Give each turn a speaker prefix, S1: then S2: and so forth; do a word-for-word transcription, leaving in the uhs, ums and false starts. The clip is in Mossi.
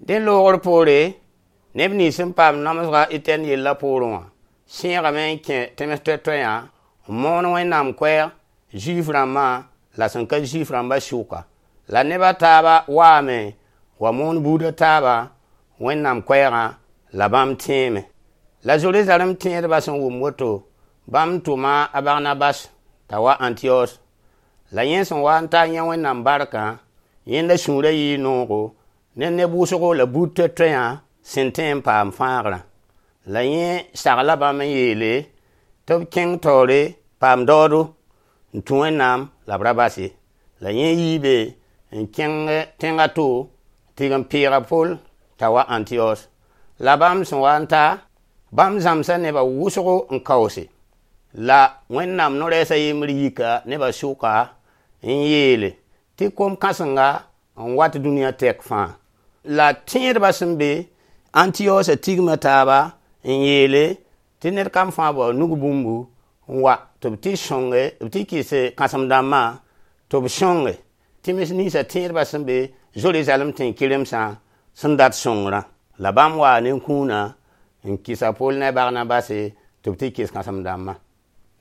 S1: Dẽ loogr poore, neb nins sẽn paam namsga Etɛn yellã poorẽ wã sẽegame n kẽ tẽms toɛ-toɛyã n moon Wẽnnaam koɛɛg Zuif rãmbã la sẽn ka Zuif rãmbã sʋka. La neb a taaba waame wa moon buud a taaba Wẽnnaam koɛɛgã la bãmb tẽeme. La Zeruzalɛm tẽedbã sẽn wʋm woto, bãmb tʋma a Barnabas t'a wa Antiyos. La yẽ sẽn wa n ta n yã Wẽnnaam barkã, yẽnda sũurã yɩɩ noogo ne neb wʋsgo la buud toɛ-toɛyã sẽn tẽ n paam fãagrã. La yẽ sagla bãmb n yeele tɩ b kẽng taoore paam daoodo n tũ Wẽnnaam la b ra bas ye. La yẽ yii be n kẽng tẽng a to tɩ n peeg a Pol t'a wa Antiyos. La bãmb sẽn wa n ta, bãmb zãmsa nebã wʋsgo n kaoose. La Wẽnnaam no-rɛɛs a yembr yika nebã sʋka n yeele tɩ kom-kãsenga n wat dũniyã tɛk fãa. La tẽedbã sẽn be Antiyosã tigma taaba n yeele tɩ ned kam fãa bao nug bũmbu n wa tɩ b tɩ sõnge b tɩ kɩs kãsem-dãmbã tɩ b sõnge tẽms ninsã tẽedbã sẽn be Zerizalɛm tẽn-kɩremsã sẽn dat sõngrã. La bãmb waa ne kũuna n kɩs a Pol ne a Barnabase tɩ b tɩ kɩs kãsem-dãmbã.